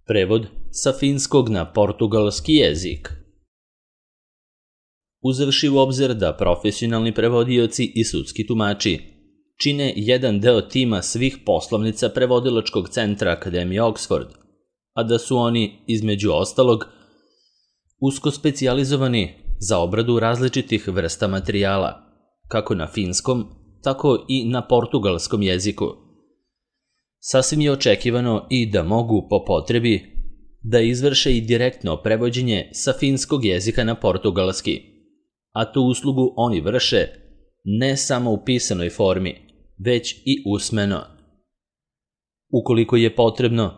Prevod sa finskog na portugalski jezik. Uzevši u obzir da profesionalni prevodioci i sudski tumači čine jedan deo tima svih poslovnica prevodilačkog centra Akademije Oxford, a da su oni, između ostalog, usko specijalizovani za obradu različitih vrsta materijala, kako na finskom, tako i na portugalskom jeziku. Sasvim je očekivano i da mogu, po potrebi, da izvrše i direktno prevođenje sa finskog jezika na portugalski, a tu uslugu oni vrše ne samo u pisanoj formi, već i usmeno. Ukoliko je potrebno,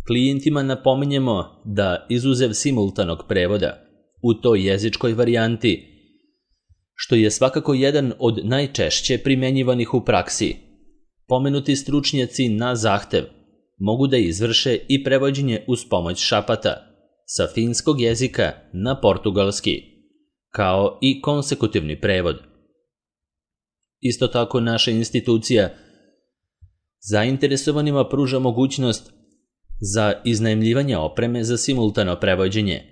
klijentima napominjemo da izuzev simultanog prevoda u toj jezičkoj varijanti, što je svakako jedan od najčešće primenjivanih u praksi, pomenuti stručnjaci na zahtev mogu da izvrše i prevođenje uz pomoć šapata sa finskog jezika na portugalski, kao i konsekutivni prevod. Isto tako naša institucija zainteresovanima pruža mogućnost za iznajmljivanje opreme za simultano prevođenje,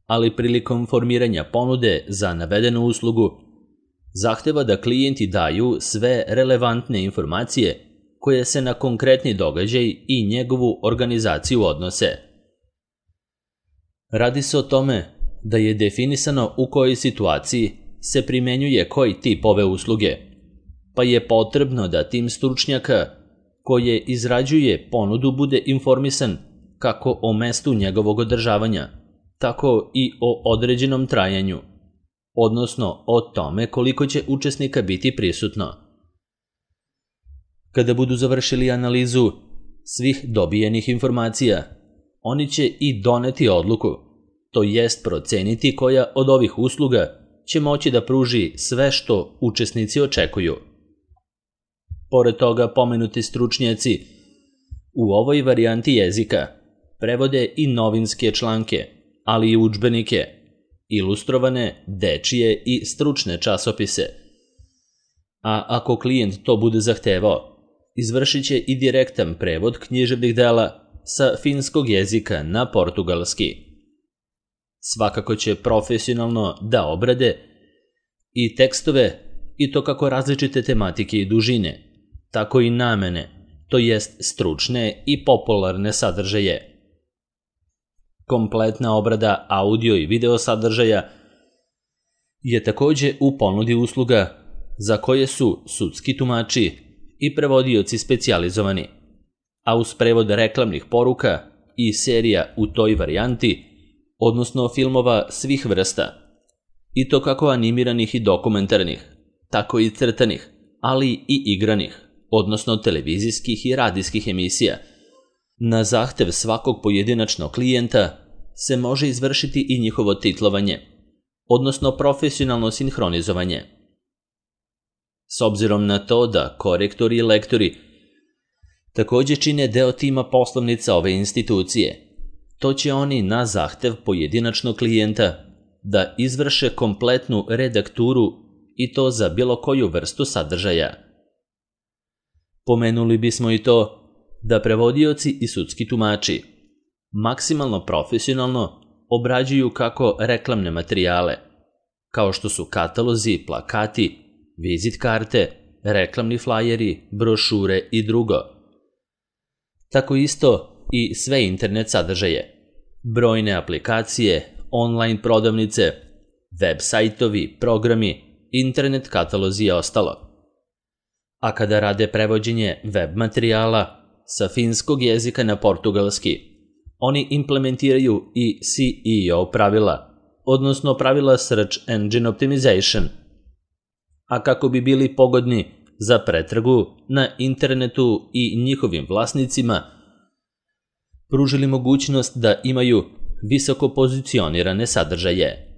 ali prilikom formiranja ponude za navedenu uslugu zahteva da klijenti daju sve relevantne informacije koje se na konkretni događaj i njegovu organizaciju odnose. Radi se o tome da je definisano u kojoj situaciji se primenjuje koji tip ove usluge, pa je potrebno da tim stručnjaka koje izrađuje ponudu bude informisan kako o mestu njegovog održavanja, tako i o određenom trajanju, odnosno o tome koliko će učesnika biti prisutno. Kada budu završili analizu svih dobijenih informacija, oni će i doneti odluku, to jest proceniti koja od ovih usluga će moći da pruži sve što učesnici očekuju. Pored toga, pomenuti stručnjaci u ovoj varijanti jezika prevode i novinske članke, ali i udžbenike, ilustrovane, dečije i stručne časopise. A ako klijent to bude zahtevao, izvršit će i direktan prevod književnih dela sa finskog jezika na portugalski. Svakako će profesionalno da obrade i tekstove, i to kako različite tematike i dužine, tako i namene, to jest stručne i popularne sadržaje. Kompletna obrada audio i video sadržaja je takođe u ponudi usluga za koje su sudski tumači i prevodioci specijalizovani, a uz prevod reklamnih poruka i serija u toj varijanti, odnosno filmova svih vrsta, i to kako animiranih i dokumentarnih, tako i crtanih, ali i igranih, odnosno televizijskih i radijskih emisija. Na zahtev svakog pojedinačnog klijenta se može izvršiti i njihovo titlovanje, odnosno profesionalno sinhronizovanje. S obzirom na to da korektori i lektori takođe čine deo tima poslovnica ove institucije, to će oni na zahtev pojedinačnog klijenta da izvrše kompletnu redakturu i to za bilo koju vrstu sadržaja. Pomenuli bismo i to da prevodioci i sudski tumači maksimalno profesionalno obrađuju kako reklamne materijale, kao što su katalozi, plakati, vizit karte, reklamni flajeri, brošure i drugo. Tako isto i sve internet sadržaje, brojne aplikacije, online prodavnice, web sajtovi, programi, internet katalozi i ostalo. A kada rade prevođenje web materijala sa finskog jezika na portugalski, oni implementiraju i SEO pravila, odnosno pravila Search Engine Optimization, a kako bi bili pogodni za pretragu na internetu i njihovim vlasnicima, pružili mogućnost da imaju visoko pozicionirane sadržaje.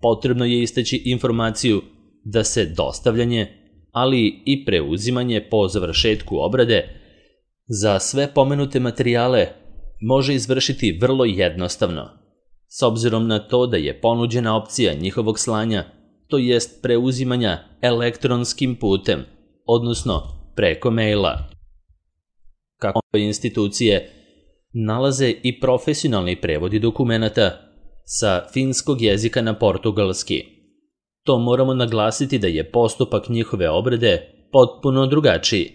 Potrebno je istaći informaciju da se dostavljanje, ali i preuzimanje po završetku obrade za sve pomenute materijale može izvršiti vrlo jednostavno, s obzirom na to da je ponuđena opcija njihovog slanja, to jest preuzimanja elektronskim putem, odnosno preko maila. Kako institucije nalaze i profesionalni prevodi dokumenata sa finskog jezika na portugalski. To moramo naglasiti da je postupak njihove obrade potpuno drugačiji,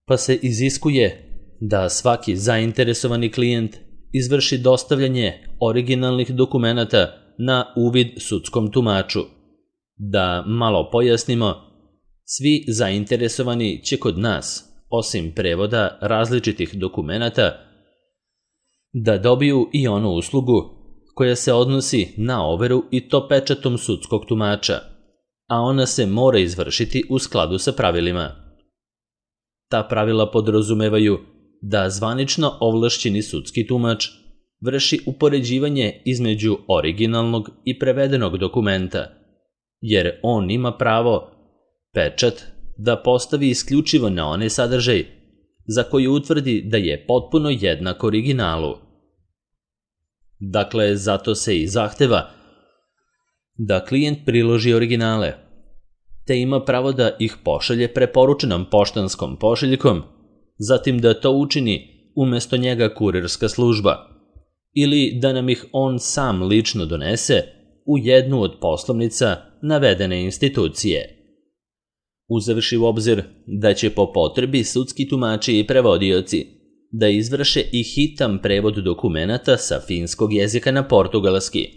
pa se iziskuje da svaki zainteresovani klijent izvrši dostavljanje originalnih dokumenata na uvid sudskom tumaču. Da malo pojasnimo, svi zainteresovani će kod nas, osim prevoda različitih dokumenata, da dobiju i onu uslugu koja se odnosi na overu i to pečatom sudskog tumača, a ona se mora izvršiti u skladu sa pravilima. Ta pravila podrazumevaju da zvanično ovlašćeni sudski tumač vrši upoređivanje između originalnog i prevedenog dokumenta, jer on ima pravo pečat da postavi isključivo na onaj sadržaj za koji utvrdi da je potpuno jednak originalu. Dakle, zato se i zahteva da klijent priloži originale, te ima pravo da ih pošalje preporučenom poštanskom pošiljkom, zatim da to učini umesto njega kurirska služba, ili da nam ih on sam lično donese u jednu od poslovnica navedene institucije. Uzevši u obzir da će po potrebi sudski tumači i prevodioci da izvrše i hitan prevod dokumenata sa finskog jezika na portugalski.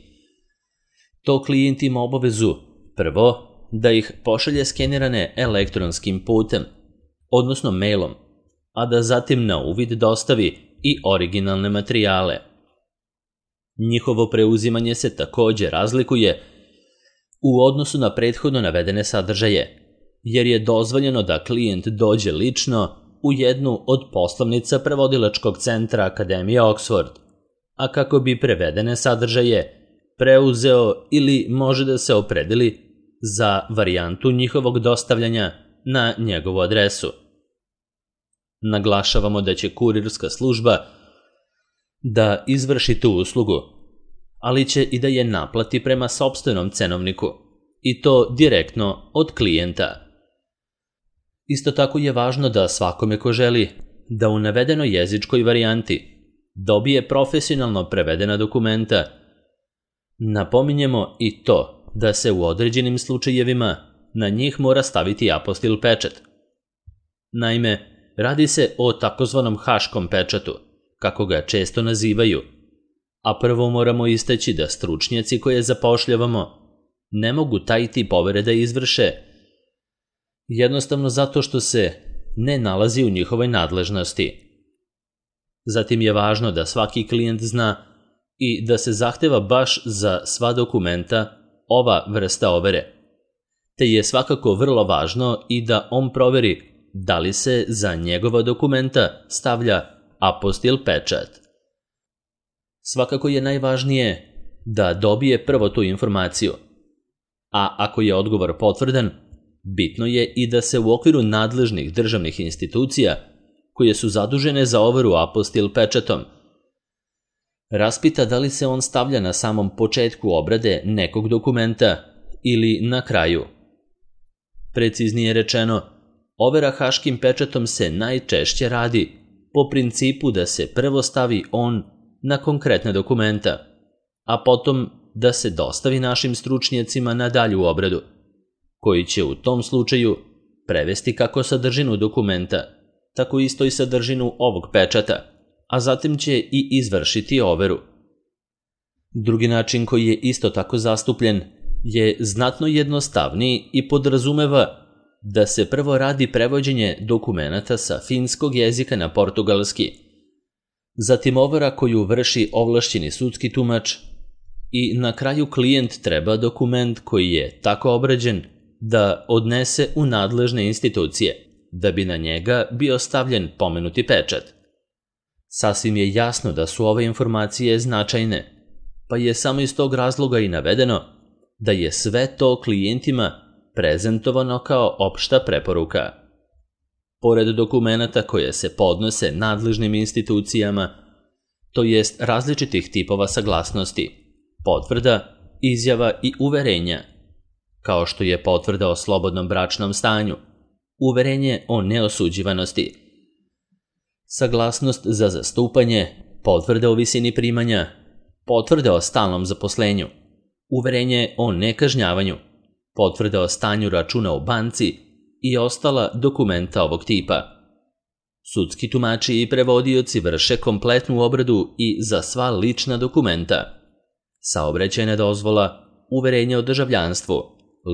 To klijent ima obavezu, prvo, da ih pošalje skenirane elektronskim putem, odnosno mailom, a da zatim na uvid dostavi i originalne materijale. Njihovo preuzimanje se također razlikuje u odnosu na prethodno navedene sadržaje, jer je dozvoljeno da klijent dođe lično u jednu od poslovnica prevodilačkog centra Akademije Oxford, a kako bi prevedene sadržaje preuzeo ili može da se opredeli za varijantu njihovog dostavljanja na njegovu adresu. Naglašavamo da će kurirska služba da izvrši tu uslugu, ali će i da je naplati prema sopstvenom cenovniku, i to direktno od klijenta. Isto tako je važno da svakome ko želi da u navedenoj jezičkoj varijanti dobije profesionalno prevedena dokumenta, napominjemo i to da se u određenim slučajevima na njih mora staviti apostil pečat. Naime, radi se o takozvanom haškom pečatu, kako ga često nazivaju, a prvo moramo istaći da stručnjaci koje zapošljavamo ne mogu taj tip overe da izvrše, jednostavno zato što se ne nalazi u njihovoj nadležnosti. Zatim je važno da svaki klijent zna i da se zahteva baš za sva dokumenta ova vrsta overe, te je svakako vrlo važno i da on proveri da li se za njegova dokumenta stavlja apostil pečat. Svakako je najvažnije da dobije prvo tu informaciju, a ako je odgovor potvrdan, bitno je i da se u okviru nadležnih državnih institucija, koje su zadužene za overu apostil pečatom, raspita da li se on stavlja na samom početku obrade nekog dokumenta ili na kraju. Preciznije rečeno, overa haškim pečatom se najčešće radi po principu da se prvo stavi on na konkretne dokumenta, a potom da se dostavi našim stručnjacima na dalju obradu, koji će u tom slučaju prevesti kako sadržinu dokumenta, tako isto i sadržinu ovog pečata, a zatim će i izvršiti overu. Drugi način koji je isto tako zastupljen je znatno jednostavniji i podrazumeva da se prvo radi prevođenje dokumenata sa finskog jezika na portugalski, zatim overa koju vrši ovlašćeni sudski tumač i na kraju klijent treba dokument koji je tako obrađen da odnese u nadležne institucije, da bi na njega bio stavljen pomenuti pečat. Sasvim je jasno da su ove informacije značajne, pa je samo iz tog razloga i navedeno da je sve to klijentima prezentovano kao opšta preporuka. Pored dokumenata koje se podnose nadležnim institucijama, to jest različitih tipova saglasnosti, potvrda, izjava i uverenja, kao što je potvrda o slobodnom bračnom stanju, uverenje o neosuđivanosti, saglasnost za zastupanje, potvrde o visini primanja, potvrde o stalnom zaposlenju, uverenje o nekažnjavanju, potvrde o stanju računa u banci i ostala dokumenta ovog tipa. Sudski tumači i prevodioci vrše kompletnu obradu i za sva lična dokumenta. Saobraćajna dozvola, uverenje o državljanstvu,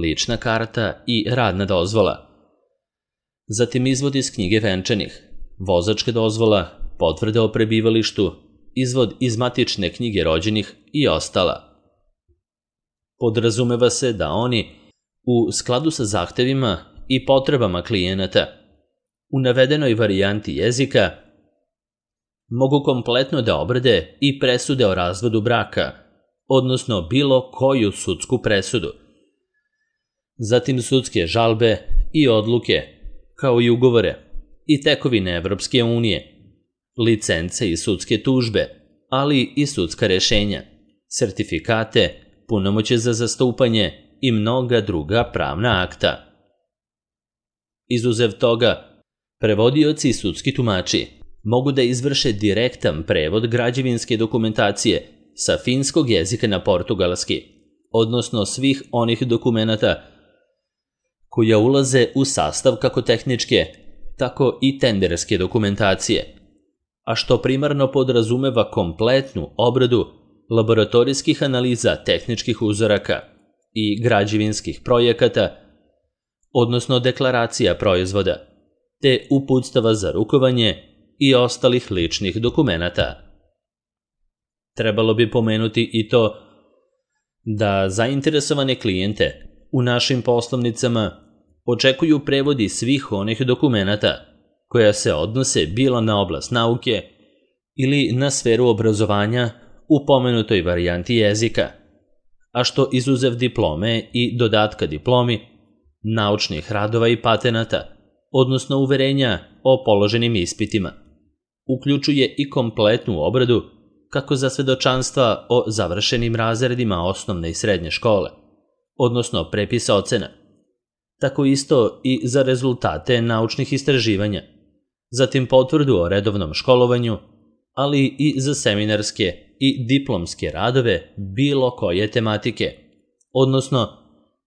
lična karta i radna dozvola. Zatim izvod iz knjige venčanih, vozačka dozvola, potvrde o prebivalištu, izvod iz matične knjige rođenih i ostala. Podrazumeva se da oni, u skladu sa zahtevima i potrebama klijenata, u navedenoj varijanti jezika, mogu kompletno da obrade i presude o razvodu braka, odnosno bilo koju sudsku presudu. Zatim sudske žalbe i odluke, kao i ugovore i tekovine Evropske unije, licence i sudske tužbe, ali i sudska rešenja, sertifikate, punomoćje za zastupanje i mnoga druga pravna akta. Izuzev toga, prevodioci i sudski tumači mogu da izvrše direktan prevod građevinske dokumentacije sa finskog jezika na portugalski, odnosno svih onih dokumenata koja ulaze u sastav kako tehničke, tako i tenderske dokumentacije, a što primarno podrazumeva kompletnu obradu laboratorijskih analiza tehničkih uzoraka i građevinskih projekata, odnosno deklaracija proizvoda, te uputstava za rukovanje i ostalih ličnih dokumenata. Trebalo bi pomenuti i to da zainteresovane klijente u našim poslovnicama očekuju prevodi svih onih dokumenata koja se odnose bilo na oblast nauke ili na sferu obrazovanja u pomenutoj varijanti jezika, a što izuzev diplome i dodatka diplomi, naučnih radova i patenata, odnosno uverenja o položenim ispitima, uključuje i kompletnu obradu kako za svedočanstva o završenim razredima osnovne i srednje škole, odnosno prepisa ocena, tako isto i za rezultate naučnih istraživanja, zatim potvrdu o redovnom školovanju, ali i za seminarske i diplomske radove bilo koje tematike, odnosno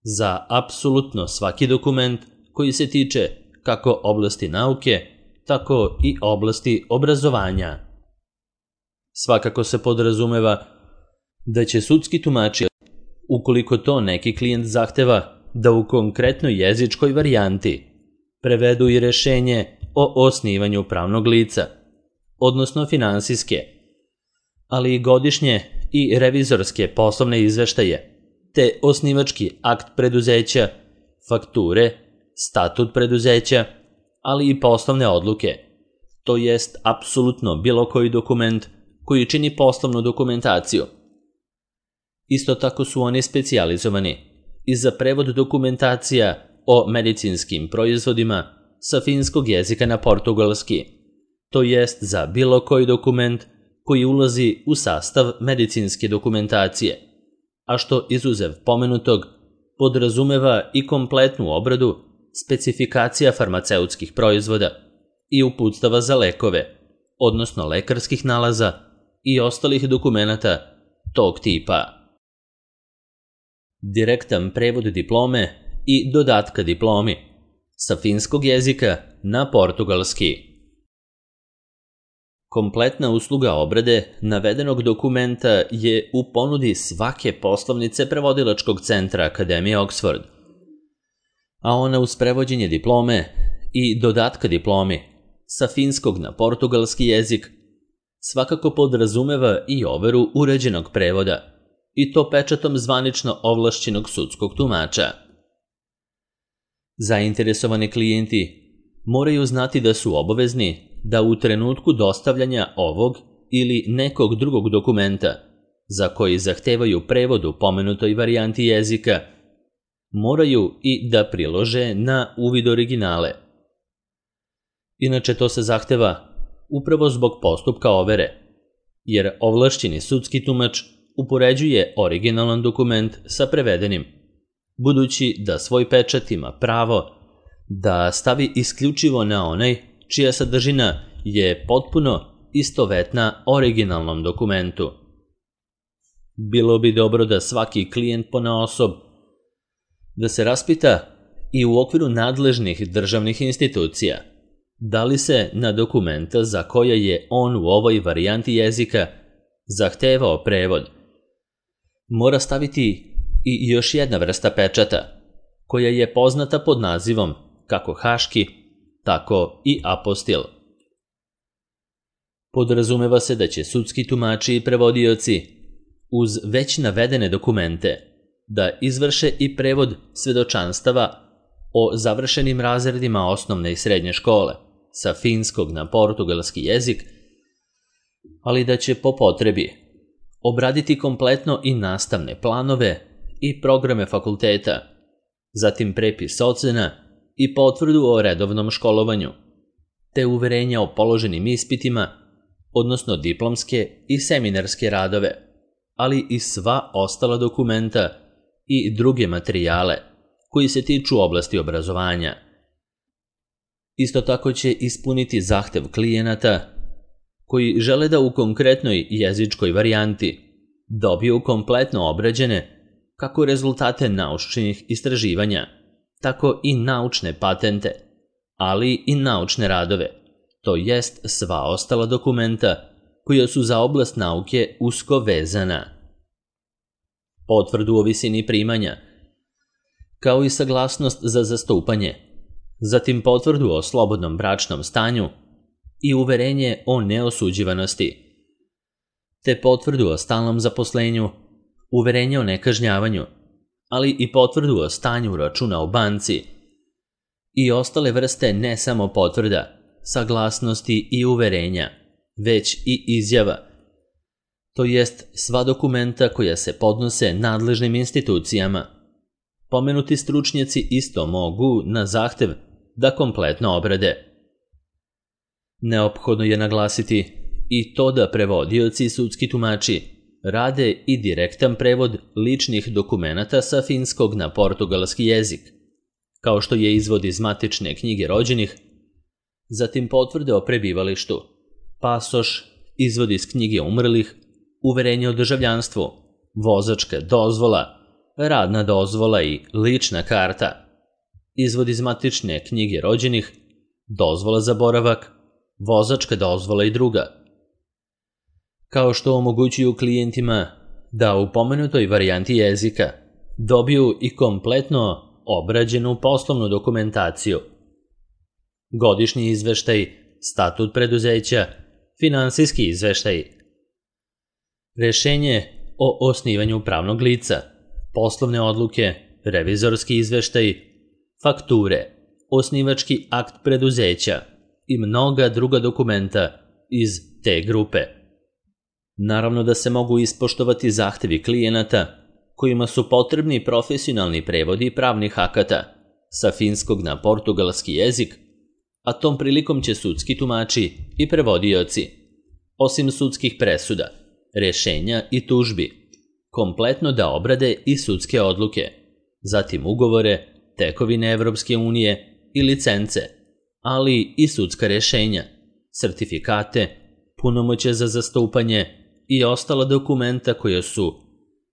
za apsolutno svaki dokument koji se tiče kako oblasti nauke, tako i oblasti obrazovanja. Svakako se podrazumeva da će sudski tumači, ukoliko to neki klijent zahteva, da u konkretnoj jezičkoj varijanti prevedu i rešenje o osnivanju pravnog lica, odnosno finansijske, ali i godišnje i revizorske poslovne izveštaje, te osnivački akt preduzeća, fakture, statut preduzeća, ali i poslovne odluke, to jest apsolutno bilo koji dokument koji čini poslovnu dokumentaciju. Isto tako su oni specijalizovani i za prevod dokumentacija o medicinskim proizvodima sa finskog jezika na portugalski, to jest za bilo koji dokument koji ulazi u sastav medicinske dokumentacije, a što izuzev pomenutog podrazumeva i kompletnu obradu specifikacija farmaceutskih proizvoda i uputstava za lekove, odnosno lekarskih nalaza i ostalih dokumenata tog tipa. Direktan prevod diplome i dodatka diplomi sa finskog jezika na portugalski. Kompletna usluga obrade navedenog dokumenta je u ponudi svake poslovnice prevodilačkog centra Akademije Oxford, a ona uz prevođenje diplome i dodatka diplomi sa finskog na portugalski jezik svakako podrazumeva i overu uređenog prevoda, i to pečatom zvanično ovlašćenog sudskog tumača. Zainteresovani klijenti moraju znati da su obavezni da u trenutku dostavljanja ovog ili nekog drugog dokumenta za koji zahtevaju prevod u pomenutoj varijanti jezika, moraju i da prilože na uvid originale. Inače to se zahteva upravo zbog postupka overe, jer ovlašćeni sudski tumač upoređuje originalan dokument sa prevedenim, budući da svoj pečat ima pravo da stavi isključivo na onaj čija sadržina je potpuno istovetna originalnom dokumentu. Bilo bi dobro da svaki klijent ponaosob da se raspita i u okviru nadležnih državnih institucija da li se na dokumenta za koje je on u ovoj varijanti jezika zahtevao prevod mora staviti i još jedna vrsta pečata koja je poznata pod nazivom kako haški, tako i apostil. Podrazumeva se da će sudski tumači i prevodioci uz već navedene dokumente da izvrše i prevod svedočanstava o završenim razredima osnovne i srednje škole sa finskog na portugalski jezik, ali da će po potrebi obraditi kompletno i nastavne planove i programe fakulteta, zatim prepis ocena i potvrdu o redovnom školovanju, te uverenja o položenim ispitima, odnosno diplomske i seminarske radove, ali i sva ostala dokumenta i druge materijale koji se tiču oblasti obrazovanja. Isto tako će ispuniti zahtev klijenata koji žele da u konkretnoj jezičkoj varijanti dobiju kompletno obrađene kako rezultate naučnih istraživanja, tako i naučne patente, ali i naučne radove, to jest sva ostala dokumenta koja su za oblast nauke usko vezana. Potvrdu o visini primanja, kao i saglasnost za zastupanje, zatim potvrdu o slobodnom bračnom stanju i uverenje o neosuđivanosti, te potvrdu o stalnom zaposlenju, uverenje o nekažnjavanju, ali i potvrdu o stanju računa u banci i ostale vrste ne samo potvrda, saglasnosti i uverenja, već i izjava, to jest sva dokumenta koja se podnose nadležnim institucijama. Pomenuti stručnjaci isto mogu na zahtev da kompletno obrade. Neophodno je naglasiti i to da prevodioci i sudski tumači rade i direktan prevod ličnih dokumenata sa finskog na portugalski jezik, kao što je izvod iz matične knjige rođenih, zatim potvrde o prebivalištu, pasoš, izvod iz knjige umrlih, uverenje o državljanstvu, vozačka dozvola, radna dozvola i lična karta, izvod iz matične knjige rođenih, dozvola za boravak, vozačka dozvola i druga. Kao što omogućuju klijentima da u pomenutoj varijanti jezika dobiju i kompletno obrađenu poslovnu dokumentaciju, godišnji izveštaj, statut preduzeća, finansijski izveštaj, rešenje o osnivanju pravnog lica, poslovne odluke, revizorski izveštaj, fakture, osnivački akt preduzeća i mnoga druga dokumenta iz te grupe. Naravno da se mogu ispoštovati zahtevi klijenata kojima su potrebni profesionalni prevodi pravnih akata sa finskog na portugalski jezik, a tom prilikom će sudski tumači i prevodioci, osim sudskih presuda, rešenja i tužbi, kompletno da obrade i sudske odluke, zatim ugovore, tekovine Evropske unije i licence, ali i sudska rešenja, sertifikate, punomoćje za zastupanje i ostala dokumenta koja su,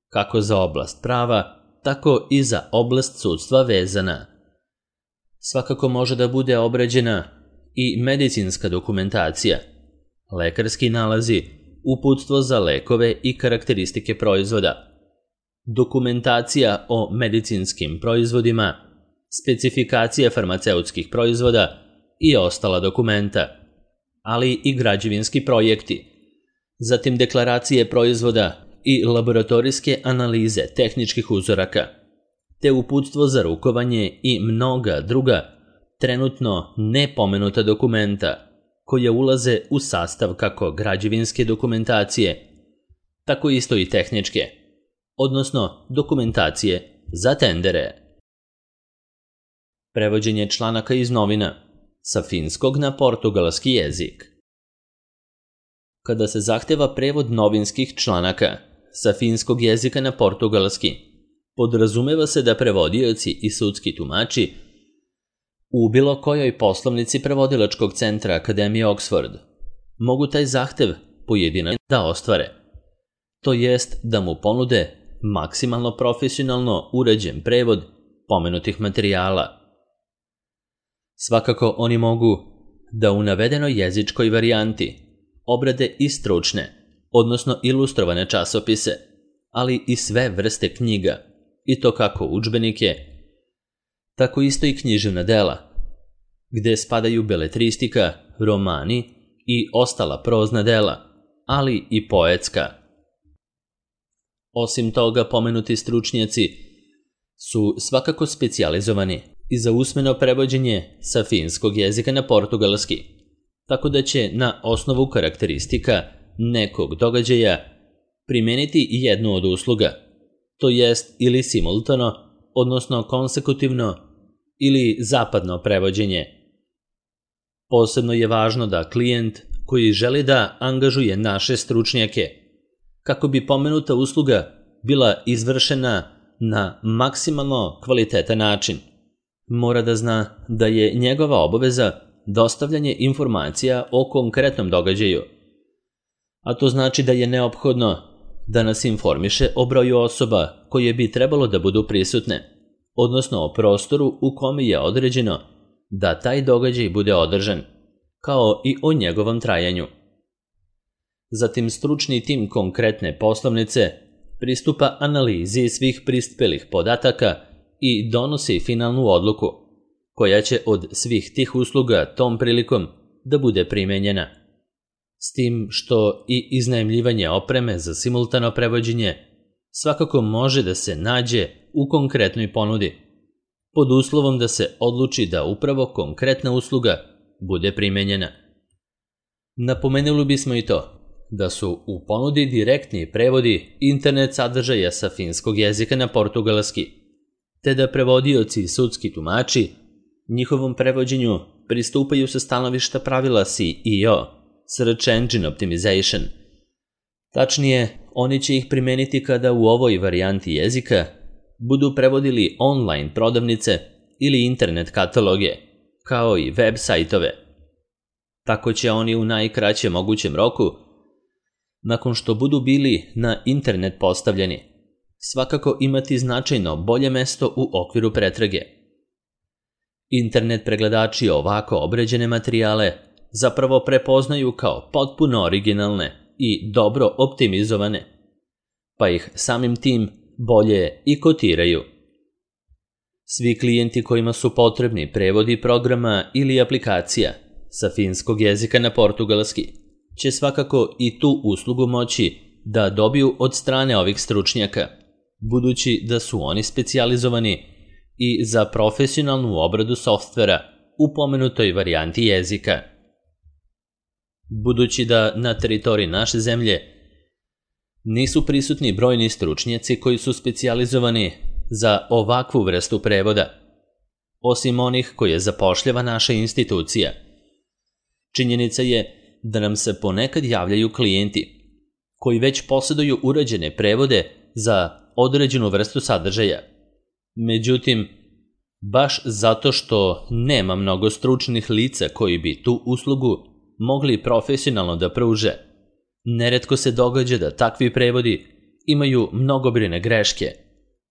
kako za oblast prava, tako i za oblast sudstva vezana. Svakako može da bude obrađena i medicinska dokumentacija, lekarski nalazi, uputstvo za lekove i karakteristike proizvoda, dokumentacija o medicinskim proizvodima, specifikacija farmaceutskih proizvoda i ostala dokumenta, ali i građevinski projekti, zatim deklaracije proizvoda i laboratorijske analize tehničkih uzoraka, te uputstvo za rukovanje i mnoga druga trenutno nepomenuta dokumenta koje ulaze u sastav kako građevinske dokumentacije, tako isto i tehničke, odnosno dokumentacije za tendere. Prevođenje članaka iz novina sa finskog na portugalski jezik. Kada se zahteva prevod novinskih članaka sa finskog jezika na portugalski, podrazumeva se da prevodioci i sudski tumači u bilo kojoj poslovnici prevodilačkog centra Akademije Oxford mogu taj zahtev pojedinačno da ostvare, to jest da mu ponude maksimalno profesionalno urađen prevod pomenutih materijala. Svakako oni mogu da u navedenoj jezičkoj varijanti obrade i stručne, odnosno ilustrovane časopise, ali i sve vrste knjiga, i to kako udžbenike, tako isto i književna dela, gde spadaju beletristika, romani i ostala prozna dela, ali i poetska. Osim toga, pomenuti stručnjaci su svakako specijalizovani i za usmeno prevođenje sa finskog jezika na portugalski, tako da će na osnovu karakteristika nekog događaja primeniti jednu od usluga, to jest ili simultano, odnosno konsekutivno ili zapadno prevođenje. Posebno je važno da klijent koji želi da angažuje naše stručnjake, kako bi pomenuta usluga bila izvršena na maksimalno kvalitetan način, mora da zna da je njegova obaveza dostavljanje informacija o konkretnom događaju, a to znači da je neophodno da nas informiše o broju osoba koje bi trebalo da budu prisutne, odnosno o prostoru u kome je određeno da taj događaj bude održan, kao i o njegovom trajanju. Zatim stručni tim konkretne poslovnice pristupa analizi svih prispelih podataka i donosi finalnu odluku, koja će od svih tih usluga tom prilikom da bude primenjena. S tim što i iznajmljivanje opreme za simultano prevođenje svakako može da se nađe u konkretnoj ponudi, pod uslovom da se odluči da upravo konkretna usluga bude primenjena. Napomenuli bismo i to da su u ponudi direktni prevodi internet sadržaja sa finskog jezika na portugalski, te da prevodioci i sudski tumači njihovom prevođenju pristupaju sa stanovišta pravila SEO, Search Engine Optimization. Tačnije, oni će ih primeniti kada u ovoj varijanti jezika budu prevodili online prodavnice ili internet kataloge, kao i web sajtove. Tako će oni u najkraćem mogućem roku, nakon što budu bili na internet postavljeni, svakako imati značajno bolje mesto u okviru pretrage. Internet pregledači ovako obrađene materijale zapravo prepoznaju kao potpuno originalne i dobro optimizovane, pa ih samim tim bolje i kotiraju. Svi klijenti kojima su potrebni prevodi programa ili aplikacija sa finskog jezika na portugalski će svakako i tu uslugu moći da dobiju od strane ovih stručnjaka, budući da su oni specijalizovani i za profesionalnu obradu softvera u pomenutoj varijanti jezika. Budući da na teritoriji naše zemlje nisu prisutni brojni stručnjaci koji su specijalizovani za ovakvu vrstu prevoda, osim onih koje zapošljava naša institucija, činjenica je da nam se ponekad javljaju klijenti koji već posjeduju urađene prevode za određenu vrstu sadržaja. Međutim, baš zato što nema mnogo stručnih lica koji bi tu uslugu mogli profesionalno da pruže, neretko se događa da takvi prevodi imaju mnogobrojne greške,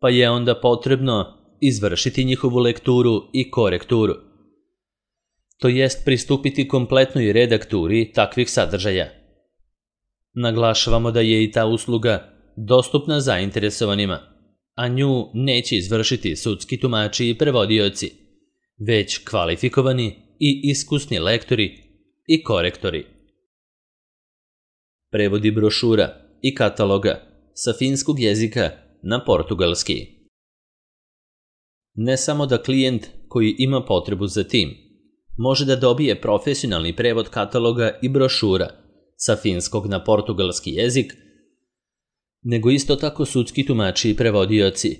pa je onda potrebno izvršiti njihovu lekturu i korekturu, to jest pristupiti kompletnoj redakturi takvih sadržaja. Naglašavamo da je i ta usluga dostupna zainteresovanima, a nju neće izvršiti sudski tumači i prevodioci, već kvalifikovani i iskusni lektori i korektori. Prevodi brošura i kataloga sa finskog jezika na portugalski. Ne samo da klijent koji ima potrebu za tim može da dobije profesionalni prevod kataloga i brošura sa finskog na portugalski jezik, nego isto tako sudski tumači i prevodioci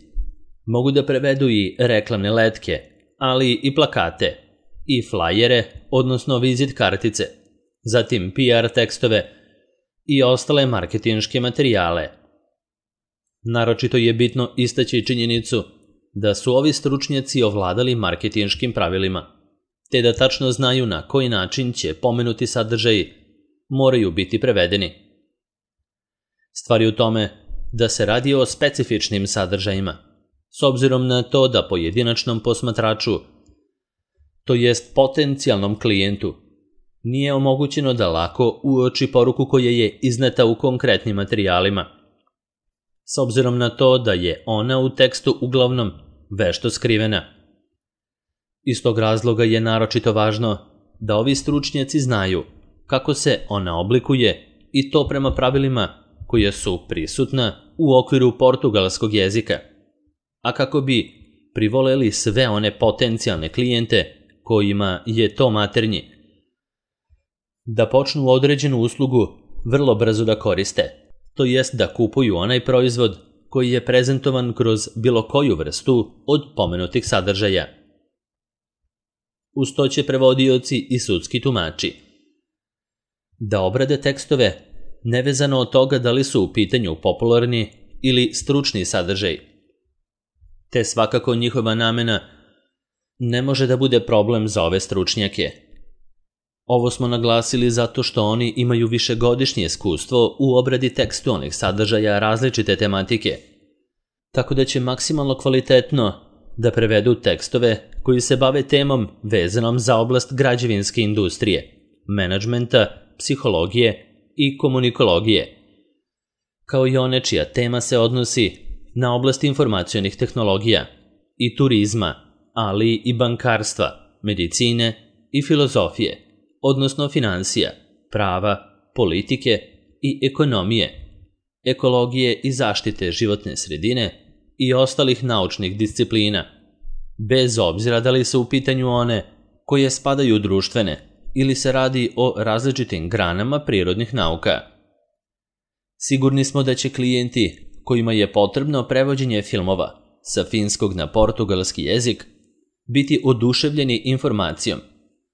mogu da prevedu i reklamne letke, ali i plakate, i flajere, odnosno vizit kartice, zatim PR tekstove i ostale marketinške materijale. Naročito je bitno istaći činjenicu da su ovi stručnjaci ovladali marketinškim pravilima, te da tačno znaju na koji način će pomenuti sadržaji moraju biti prevedeni. Stvar je u tome da se radi o specifičnim sadržajima, s obzirom na to da pojedinačnom posmatraču, to jest potencijalnom klijentu, nije omogućeno da lako uoči poruku koja je izneta u konkretnim materijalima, s obzirom na to da je ona u tekstu uglavnom vešto skrivena. Iz tog razloga je naročito važno da ovi stručnjaci znaju kako se ona oblikuje i to prema pravilima koja su prisutna u okviru portugalskog jezika, a kako bi privoleli sve one potencijalne klijente kojima je to maternji, da počnu određenu uslugu vrlo brzo da koriste, to jest da kupuju onaj proizvod koji je prezentovan kroz bilo koju vrstu od pomenutih sadržaja. Uz to će prevodioci i sudski tumači da obrade tekstove nevezano od toga da li su u pitanju popularni ili stručni sadržaj, te svakako njihova namena ne može da bude problem za ove stručnjake. Ovo smo naglasili zato što oni imaju višegodišnje iskustvo u obradi tekstualnih sadržaja različite tematike, tako da će maksimalno kvalitetno da prevedu tekstove koji se bave temom vezanom za oblast građevinske industrije, menadžmenta, psihologije i komunikologije, kao i one čija tema se odnosi na oblast informacionih tehnologija i turizma, ali i bankarstva, medicine i filozofije, odnosno finansija, prava, politike i ekonomije, ekologije i zaštite životne sredine i ostalih naučnih disciplina, bez obzira da li su u pitanju one koje spadaju u društvene ili se radi o različitim granama prirodnih nauka. Sigurni smo da će klijenti kojima je potrebno prevođenje filmova sa finskog na portugalski jezik biti oduševljeni informacijom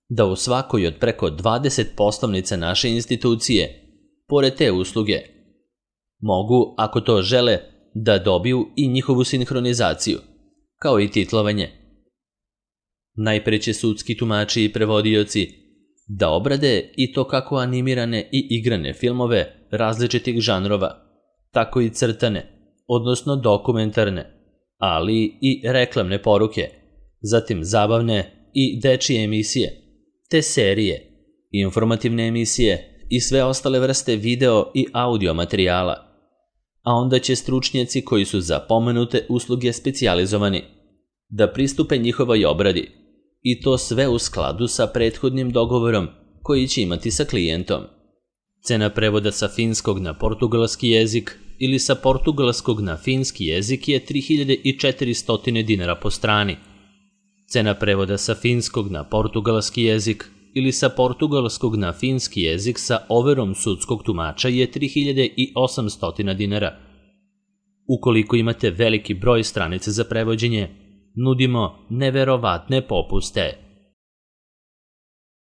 da u svakoj od preko 20 poslovnica naše institucije, pored te usluge, mogu, ako to žele, da dobiju i njihovu sinhronizaciju, kao i titlovanje. Najpre će sudski tumači i prevodioci da obrade i to kako animirane i igrane filmove različitih žanrova, tako i crtane, odnosno dokumentarne, ali i reklamne poruke, zatim zabavne i dečije emisije, te serije, informativne emisije i sve ostale vrste video i audio materijala, a onda će stručnjaci koji su za pomenute usluge specijalizovani da pristupe njihovoj obradi i to sve u skladu sa prethodnim dogovorom koji će imati sa klijentom. Cena prevoda sa finskog na portugalski jezik ili sa portugalskog na finski jezik je 3400 dinara po strani. Cena prevoda sa finskog na portugalski jezik ili sa portugalskog na finski jezik sa overom sudskog tumača je 3800 dinara. Ukoliko imate veliki broj stranica za prevođenje, nudimo neverovatne popuste.